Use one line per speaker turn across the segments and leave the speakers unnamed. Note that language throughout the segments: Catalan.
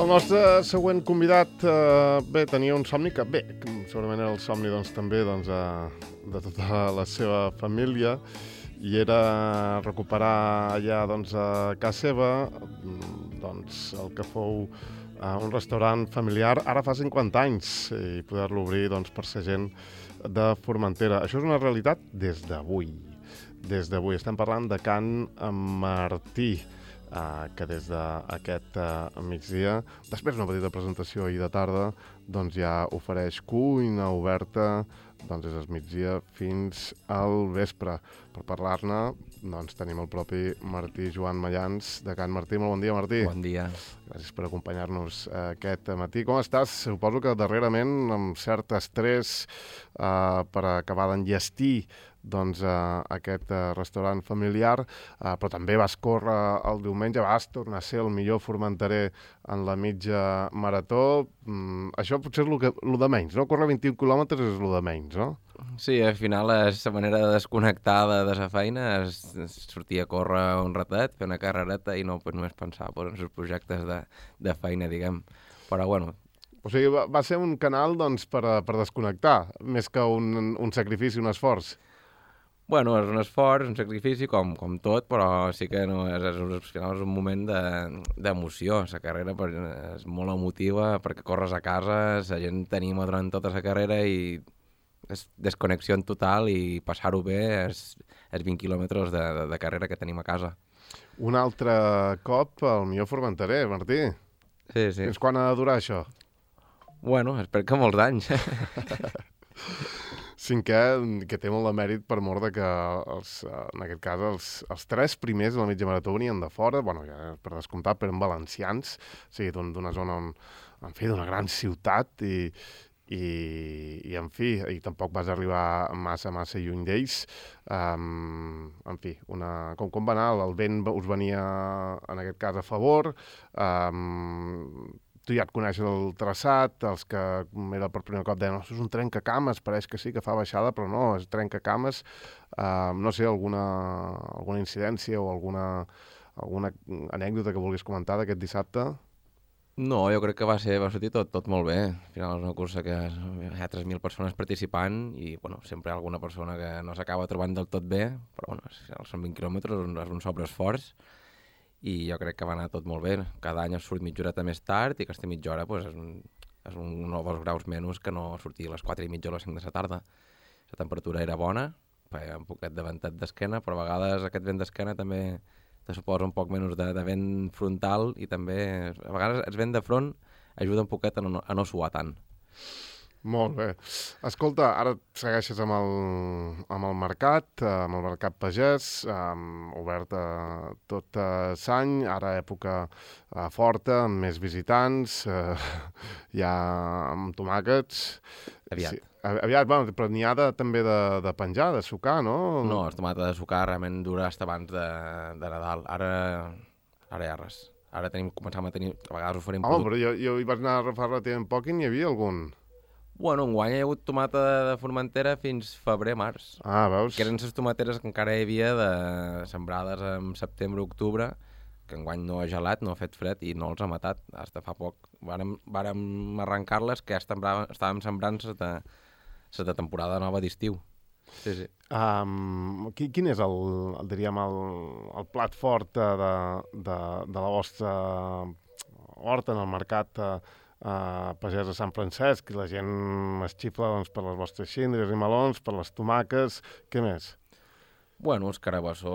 El nostre següent convidat tenia un somni que, segurament era el somni també de tota la seva família, i era recuperar allà a casa seva el que fou un restaurant familiar ara fa 50 anys i poder-lo obrir per ser gent de Formentera. Això és una realitat des d'avui. Estem parlant de Can Martí, que des d'aquest migdia, després d'una petita presentació ahir de tarda, ja ofereix cuina oberta des del migdia fins al vespre. Per parlar-ne tenim el propi Martí Joan Mallans de Can Martí. Molt bon dia, Martí.
Bon dia.
Gràcies per acompanyar-nos aquest matí. Com estàs? Suposo que darrerament amb cert estrès per acabar d'enllestir aquest restaurant familiar, però també vas córrer el diumenge, vas tornar a ser el millor formenterer en la mitja marató. Això potser és el de menys, no? Córrer 21 quilòmetres és el de menys, no?
Sí, al final és la manera de desconnectar de la feina, és sortir a córrer un ratet, fer una carrereta i no només pensar en els projectes de feina, diguem. Però bueno...
O sigui, va ser un canal per desconnectar, més que un sacrifici, un esforç.
Bueno, és un esforç, un sacrifici, com tot, però sí que no, al final és un moment d'emoció. La carrera és molt emotiva perquè corres a casa, la gent t'anima durant tota la carrera i és desconnexió en total i passar-ho bé és 20 quilòmetres de carrera que tenim a casa. Un
altre cop el millor formenterer, Martí.
Sí.
Fins quan ha de durar això?
Bueno, espero que molts anys.
Cinquè, que té molt de mèrit per mort que, en aquest cas, els tres primers de la mitja marató venien de fora, ja per descomptat, però eren valencians, o sigui, d'una zona d'una gran ciutat i tampoc vas arribar massa lluny d'ells. Com va anar? El vent us venia, en aquest cas, a favor. Tu ja et coneixes el traçat, els que era per primer cop deien, això és un trencacames, pareix que sí que fa baixada, però no, és trencacames. No sé, alguna incidència o alguna anècdota que vulguis comentar d'aquest dissabte?
No, jo crec que va sortir tot molt bé. Al final és una cursa que hi ha 3.000 persones participant i sempre hi ha alguna persona que no s'acaba trobant del tot bé, però són 20 quilòmetres, és un sobreesforç. I jo crec que va anar tot molt bé. Cada any surt mitja horeta més tard i aquesta mitja hora és un 1 o 2 graus menys que no sortir a les 4:30 o les 5 de la tarda. La temperatura era bona, feia un poquet de ventet d'esquena, però a vegades aquest vent d'esquena també te suposa un poc menys de vent frontal i també a vegades el vent de front ajuda un poquet a no suar tant.
Molt bé. Escolta, ara segueixes amb el mercat pagès, obert tot l'any, ara època forta, amb més visitants, ja amb tomàquets.
Aviat.
Sí, aviat, però n'hi ha també de penjar, de sucar, no?
No, el tomata de sucar realment dura fins abans de Nadal. Ara ja res. Ara començam a tenir... A vegades oferim...
Però jo hi vaig anar a fa relativament poc i n'hi havia algun...
Bueno, enguany hi ha hagut tomata de Formentera fins febrer-març.
Ah, veus?
Que eren les tomateres que encara hi havia sembrades en setembre-octubre, que enguany no ha gelat, no ha fet fred i no els ha matat. Fins fa poc vàrem arrencar-les que estàvem sembrant la temporada nova d'estiu. Sí.
Quin és el plat fort de la vostra horta en el mercat pagès de Sant Francesc? I la gent es xifla per les vostres xíndries i melons, per les tomaques, què més?
Bueno, el carabassó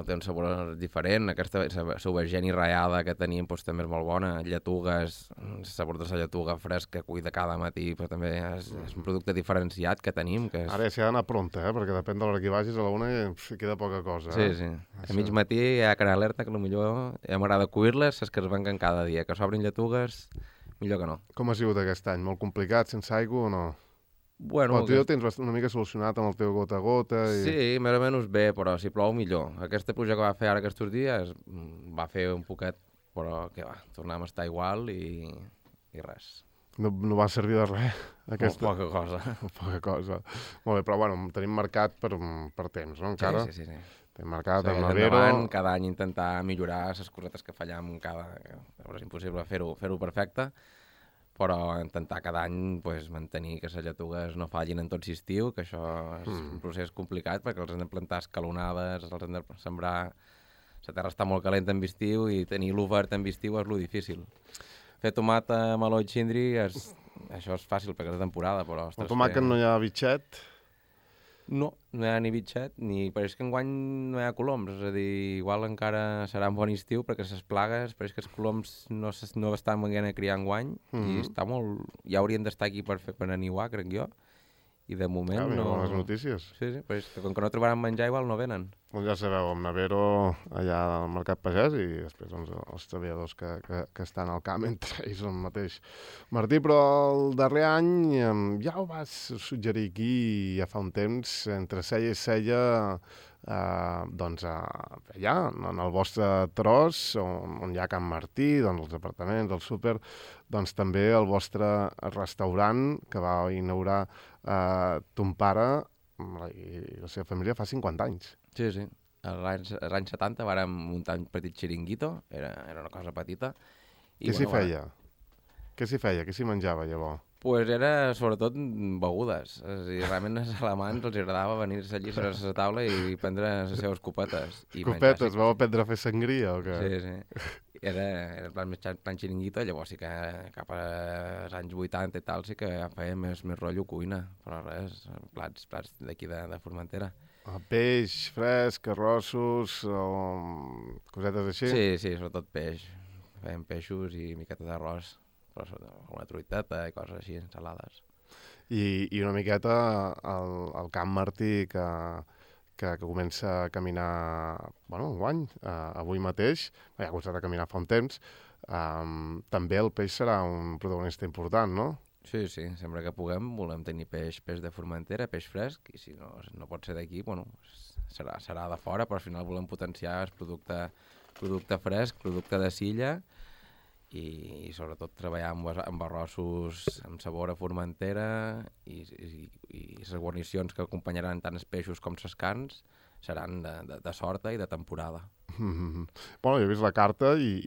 té un sabor diferent, aquesta aubergine ratllada que tenim també és molt bona, lletugues, el sabor de la lletuga fresca, cuida cada matí, però també és un producte diferenciat que tenim.
Ara s'hi ha d'anar pronta, perquè depèn de l'hora que hi vagis, a la una queda poca cosa.
Sí. A mig matí hi ha cara alerta, que potser ja m'agrada cuir-les, les que es venquen cada dia, que s'obrin lletugues, millor que no.
Com ha sigut aquest any? Molt complicat, sense aigua o no?
Bueno,
tu ja ho tens una mica solucionat amb el teu gota a gota.
Sí, més o menys bé, però si plou millor. Aquesta pluja que va fer ara aquests dies va fer un poquet, però què va, tornem a estar igual i res.
No va servir de res?
Poca cosa.
Poca cosa. Molt bé, però tenim marcat per temps, no? Encara?
Sí.
Té mercat,
Segueix
el Navero...
endavant, cada any intentar millorar les cosetes que fallem és impossible fer-ho perfecte, però intentar cada any pues, mantenir que les lletugues no fallin en tot l'estiu, que això és un procés complicat perquè els hem de plantar escalonades, els hem de sembrar... La terra està molt calenta en estiu i tenir l'obert en estiu és lo difícil. Fer tomata, meló i xindri, això és fàcil perquè és de temporada, però...
El tomàquet no hi ha bitxet?
No hi ha ni bitxet, ni pareix que enguany no hi ha coloms, és a dir, igual encara serà un bon estiu perquè les plagues, pareix que els coloms no estan venint a criar enguany i està molt... ja haurien d'estar aquí per aniuar, crec jo, i de moment no...
bones notícies.
Sí, pareix que com que no trobaran menjar igual no venen.
Doncs ja sabeu, amb Navero allà al Mercat Pagès i després doncs, els treballadors que estan al camp entre ells el mateix. Martí, però el darrer any ja ho vas suggerir aquí ja fa un temps, entre cella i cella, doncs allà, en el vostre tros, on hi ha Can Martí, doncs els apartaments, el súper, doncs també el vostre restaurant que va inaugurar ton pare i la seva família fa 50 anys.
Sí, sí. Als anys 70 vàrem muntar un petit xiringuito, era una cosa petita.
Què s'hi feia? Què s'hi feia? Què s'hi menjava, llavors?
Pues era sobretot begudes. És a dir, realment als alemans els agradava venir-se allí a la taula i prendre les seves copetes.
Copetes? Vau aprendre a fer sangria o què?
Sí, sí. Era plan xiringuito, llavors sí que cap als anys 80 i tal sí que ja feia més rotllo cuina, però res, plats d'aquí de Formentera.
Peix, fresc, arrossos, cosetes així?
Sí, sobretot peix. Fèiem peixos i miqueta d'arròs, però una truiteta i coses així, ensalades.
I una miqueta el Camp Martí que comença a caminar, enguany, avui mateix, ja ha començat a caminar fa un temps, també el peix serà un protagonista important, no?
Sí, sempre que puguem volem tenir peix de Formentera, peix fresc, i si no pot ser d'aquí, serà de fora, però al final volem potenciar el producte fresc, producte de silla, i sobretot treballar amb arrossos amb sabor a Formentera i les guarnicions que acompanyaran tant els peixos com les carns seran de sorta i de temporada.
Jo he vist la carta i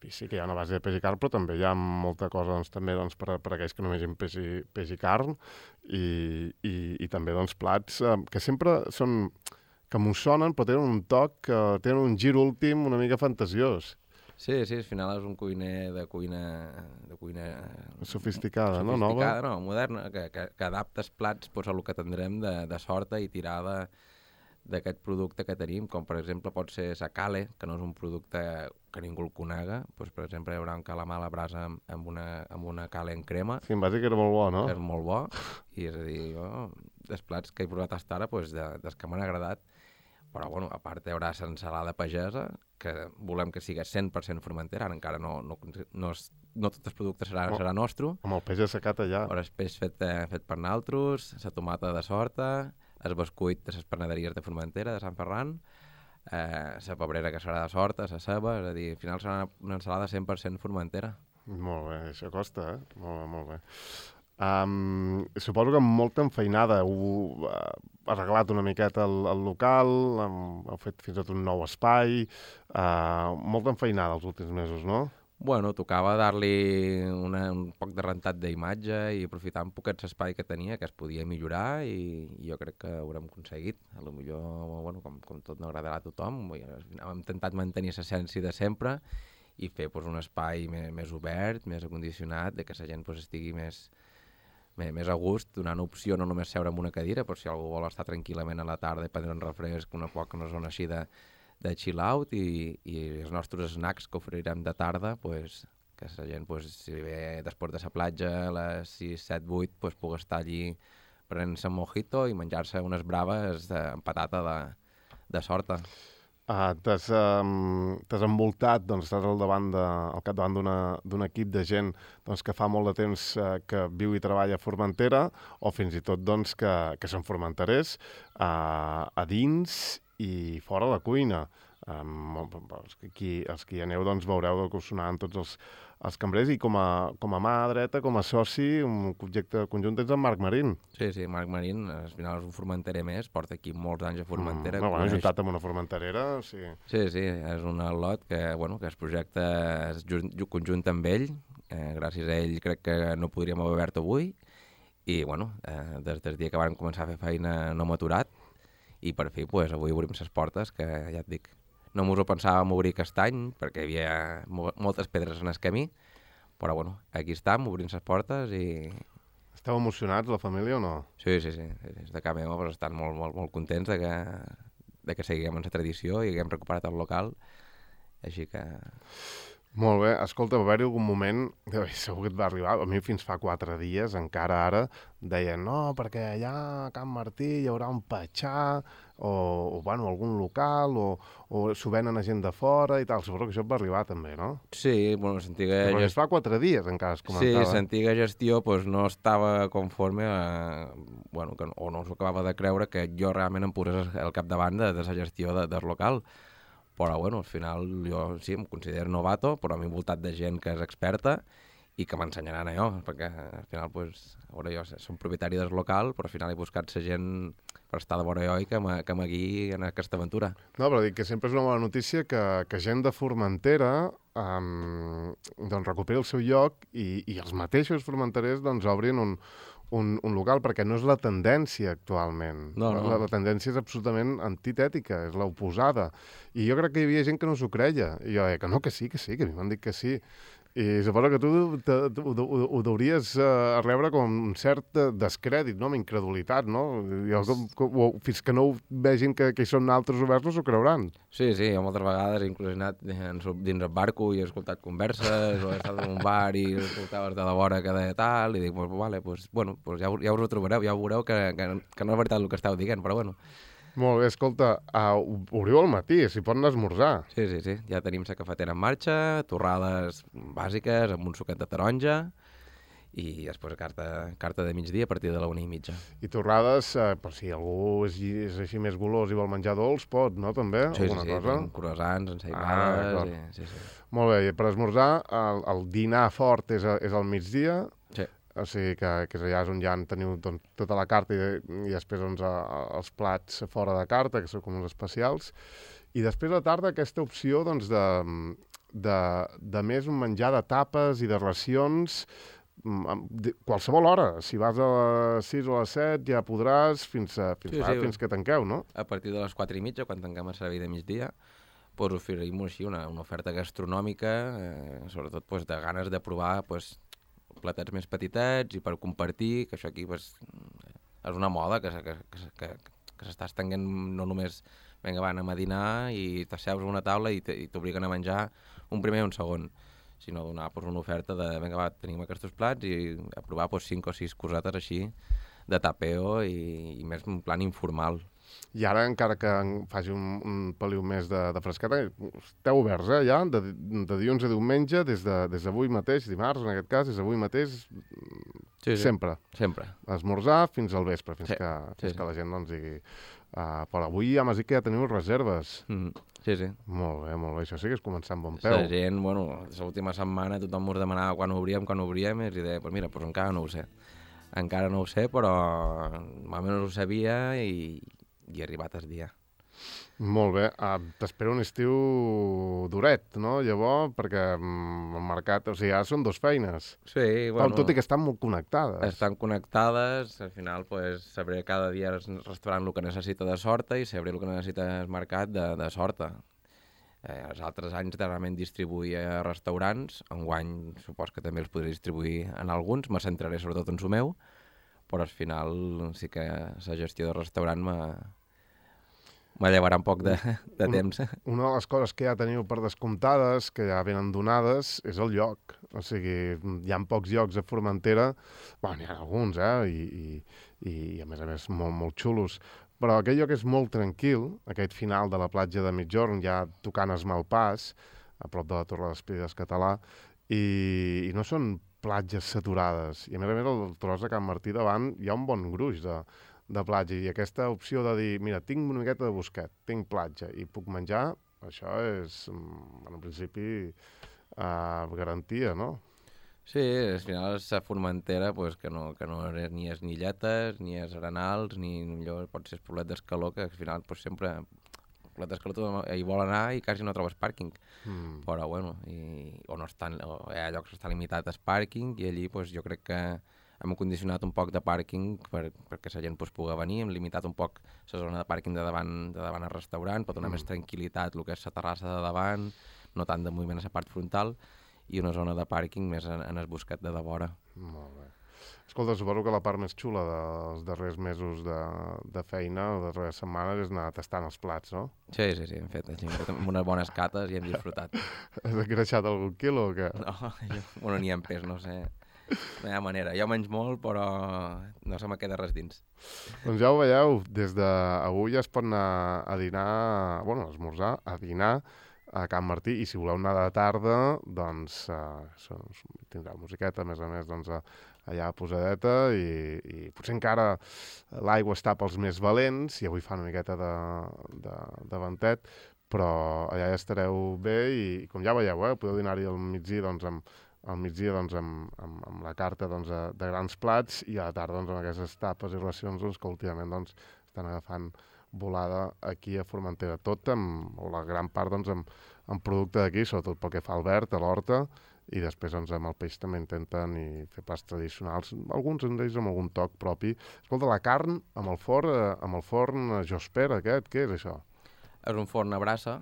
sí que hi ha una base de peix i carn, però també hi ha molta cosa també per aquells que no vegin peix i carn i també plats que sempre són que m'ho sonen però tenen un toc, tenen un gir últim una mica fantasiós.
Sí, al final és un cuiner de cuina
sofisticada, no?
Sofisticada, no, moderna, que adapta els plats a el que tindrem de sorta i tirada d'aquest producte que tenim, com per exemple pot ser la cale, que no és un producte que ningú el conega, per exemple hi haurà un calamar a la brasa amb una cale en crema.
Sí, em va dir que era molt bo, no?
És molt bo, i és a dir, dels plats que he provat fins ara, dels que m'han agradat, però a part hi haurà l'ensalada pagesa, que volem que sigui 100% Formentera, ara encara no tots els productes serà nostre.
Amb el peix assecat allà.
Però el peix fet per nosaltres, la tomata de sorta, el bescuit de les panaderies de Formentera, de Sant Ferran, la pebrera que serà de sorta, la ceba, és a dir, al final serà una ensalada 100% Formentera.
Molt bé, això costa, Molt bé. Suposo que amb molta enfeinada heu arreglat una miqueta el local, heu fet fins i tot un nou espai, molta enfeinada els últims mesos, no?
Tocava dar-li un poc de rentat d'imatge i aprofitar un poquet l'espai que tenia, que es podia millorar i jo crec que ho haurem aconseguit. Potser, com tot no agradarà a tothom, hem intentat mantenir l'essència de sempre i fer un espai més obert, més acondicionat, que la gent estigui més a gust, donant opció no només seure en una cadira, però si algú vol estar tranquil·lament a la tarda i prendre un refresc, una zona així de chill out i els nostres snacks que oferirem de tarda, que la gent, si ve després de la platja a les 6, 7, 8, pugui estar allí prenent-se un mojito i menjar-se unes braves amb patata de sorta.
T'has envoltat, estàs al capdavant d'un equip de gent que fa molt de temps que viu i treballa a Formentera o fins i tot que són formenterers a dins i fora la cuina. Els que hi aneu doncs, veureu que us sonaran tots els cambrers i com a mà dreta, com a soci, un projecte conjunt tens en Marc Marín.
Sí, Marc Marín, al final és un formenterer més, porta aquí molts anys a Formentera.
Ajuntat amb una formenterera, sí.
Sí, és un al·lot que es projecta conjunt amb ell. Gràcies a ell crec que no podríem haver obert avui. I, des del dia que vam començar a fer feina no hem aturat. I per fi, avui obrim les portes, que ja et dic, no mos ho pensàvem obrir aquest any, perquè hi havia moltes pedres en el camí, però aquí estem, obrint les portes i...
Esteu emocionats, la família, o no?
Sí. Des de casa meva estan molt contents de que seguim en la tradició i que hem recuperat el local, així que...
Molt bé. Escolta, va haver-hi algun moment, segur que et va arribar, a mi fins fa 4 dies, encara ara, deien, no, perquè allà a Can Martí hi haurà un patxà, o algun local, o s'ho venen a gent de fora i tal. Suposo que això et va arribar també, no?
Sí, l'antiga...
Però fa 4 dies encara es comentava.
Sí, l'antiga gestió no estava conforme o no s'ho acabava de creure que jo realment em posés al capdavant de la gestió del local. Però, al final, jo sí, em considero novato, però m'he envoltat de gent que és experta i que m'ensenyaran a jo, perquè, al final, jo som propietari del local, però al final he buscat la gent per estar de vora jo i que m'agui en aquesta aventura.
No, però dic que sempre és una bona notícia que gent de Formentera doncs recuperi el seu lloc i els mateixos formenterers doncs obrin un local, perquè no és la tendència actualment.
No.
La tendència és absolutament antitètica, és l'oposada. I jo crec que hi havia gent que no s'ho creia. I jo que no, que sí, que a mi m'han dit que sí. I suposo que tu ho hauries rebre com un cert descrèdit, no? Amb incredulitat, no? Fins que no vegin que hi són altres oberts no s'ho creuran.
Sí, jo moltes vegades he inclús anat dins el barco i he escoltat converses, o he estat en un bar i escoltaves de la vora que deia tal, i dic, ja us ho trobareu, ja veureu que no és veritat el que esteu dient, però
Molt bé, escolta, obriu al matí, s'hi poden esmorzar.
Sí, ja tenim la cafetera en marxa, torrades bàsiques amb un suquet de taronja i després carta de migdia a partir de la 1:30.
I torrades, per si algú és així més golós i vol menjar dolç, pot, no, també?
Sí,
cosa?
Croissants, ensaïmades... Sí.
Molt bé, i per esmorzar, el dinar fort és al migdia.
Sí.
O sigui que és allà on ja teniu tota la carta i després els plats fora de carta, que són com uns especials. I després a la tarda aquesta opció de més un menjar de tapes i de racions qualsevol hora. Si vas a les 6 o a les 7 ja podràs fins que tanqueu, no?
A partir de les 4:30, quan tanquem el servei de migdia, oferim així una oferta gastronòmica, sobretot de ganes de provar platets més petitets i per compartir, que això aquí és una moda que s'està estenent no només anem a dinar i t'asseus a una taula i t'obliguen a menjar un primer i un segon, sinó donar una oferta de tenim aquests plats i a provar 5 o 6 cosetes així de tapeo i més en plan informal.
I ara, encara que faci un peliu més de fresqueta, esteu oberts, ja? De dilluns a diumenge, des d'avui mateix, dimarts, en aquest cas, des d'avui mateix, sempre.
Sempre.
Esmorzar fins al vespre, fins que la gent digui... Però avui ja m'has dit que ja teniu reserves.
Sí.
Molt bé. Això sí que és començar amb bon peu.
La gent, l'última setmana tothom us demanava quan obríem, i deia, encara no ho sé. Encara no ho sé, però almenys ho sabia i he arribat el dia.
Molt bé. T'espero un estiu duret, no? Llavors, perquè el mercat... O sigui, ara són 2 feines.
Sí,
tot i que estan molt connectades.
Estan connectades. Al final, sabré cada dia el restaurant el que necessita de sorta i sabré el que necessita el mercat de sorta. Els altres anys realment distribuïa a restaurants. Enguany, supos que també els podré distribuir en alguns. Me centraré sobretot en el meu, però al final sí que la gestió del restaurant m'allevarà un poc de temps.
Una de les coses que ja teniu per descomptades, que ja venen donades, és el lloc. O sigui, hi ha pocs llocs a Formentera, n'hi ha alguns, i a més molt, molt xulos, però aquell lloc és molt tranquil, aquest final de la platja de Migjorn, ja tocant es Malpàs, a prop de la Torre d'Espides Català, i no són platges saturades. I a més, el tros de Can Martí davant hi ha un bon gruix de platja. I aquesta opció de dir, mira, tinc una miqueta de bosquet, tinc platja i puc menjar, això és, en principi, garantia, no?
Sí, al final és Formentera, pues, que no ni és ni Lletes, ni és Arenals, ni millor pot ser Poblet d'Escaló, que al final pues, sempre Poblet d'Escaló tothom hi vol anar i quasi no trobes pàrquing. Però bueno, o hi ha llocs que estan limitats al pàrquing i allí pues, jo crec que hem condicionat un poc de pàrquing perquè la gent pues, pugui venir, hem limitat un poc la zona de pàrquing de davant al restaurant, per donar més tranquil·litat el que és la terrassa de davant, no tant de moviment a la part frontal, i una zona de pàrquing més en el buscat de vora.
Molt bé. Escolta, suposo que la part més xula dels darrers mesos de feina, o de darreres setmanes, és anar tastant els plats, no?
Sí, hem fet unes bones cates i hem disfrutat.
Has engreixat algun quilo o què?
No, ni en pes, no sé. No hi ha manera. Jo menys molt, però no se me queda res dins.
Doncs ja ho veieu, des d'avui es pot anar a dinar, bueno, a esmorzar, a dinar, a Can Martí, i si voleu anar de tarda, doncs tindrà musiqueta, a més, doncs, allà posadeta, i potser encara l'aigua està pels més valents, i avui fa una miqueta de ventet, però allà ja estareu bé, i com ja veieu, podeu dinar-hi al migdia, amb la carta doncs, de grans plats, i a la tarda doncs, amb aquestes tapes i racions doncs, que últimament doncs, estan agafant volada aquí a Formentera, tot o la gran part doncs, amb producte d'aquí, sobretot pel que fa al verd, a l'horta, i després doncs, amb el peix també intenten fer plats tradicionals, alguns d'ells amb algun toc propi. Escolta, la carn amb el forn Josper aquest, què és això?
És un forn a brasa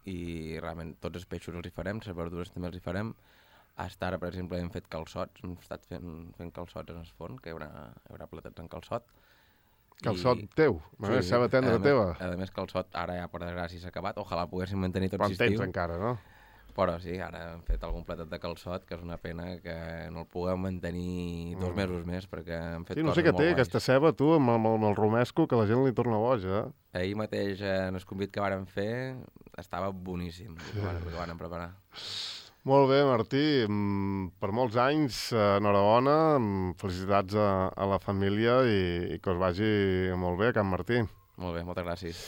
i realment tots els peixos els hi farem, les verdures també els hi farem. Hasta ara, per exemple, hem fet calçots, hem estat fent calçots en el forn, que hi haurà platats en calçot.
Calçot teu? Sí, ceba tendra teva?
A més, calçot ara ja per desgràcia s'ha acabat. Ojalà poguéssim mantenir tot l'estiu.
Quan tens encara, no?
Però sí, ara hem fet algun platet de calçot, que és una pena que no el puguem mantenir 2 mesos més, perquè hem fet coses molt guais. Sí, no sé què té, aquesta ceba, tu, amb el romesco, que la gent li torna boja. Ahir mateix, en el convit que vàrem fer, estava boníssim, el que vàrem preparar.
Molt bé, Martí, per molts anys, enhorabona, felicitats a la família i que us vagi molt bé a Can Martí.
Molt bé, moltes gràcies.